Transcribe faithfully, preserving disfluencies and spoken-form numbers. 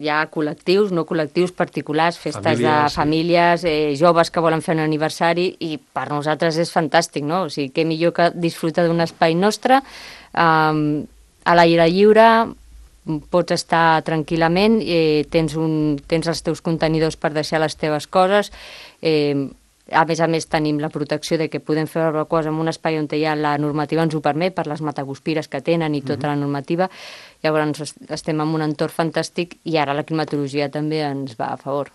hi ha col·lectius, no col·lectius, particulars, festes de famílies, eh, joves que volen fer un aniversari, i per nosaltres és fantàstic, no? O sigui, què millor que disfrutar d'un espai nostre, eh, a l'aire lliure, pots estar tranquil·lament, eh, tens, un, tens els teus contenidors per deixar les teves coses, eh, a més a més tenim la protecció de que podem fer barbacoes en un espai on ja la normativa ens ho permet, per les mataguspires que tenen i tota la normativa. Llavors estem en un entorn fantàstic i ara la climatologia també ens va a favor.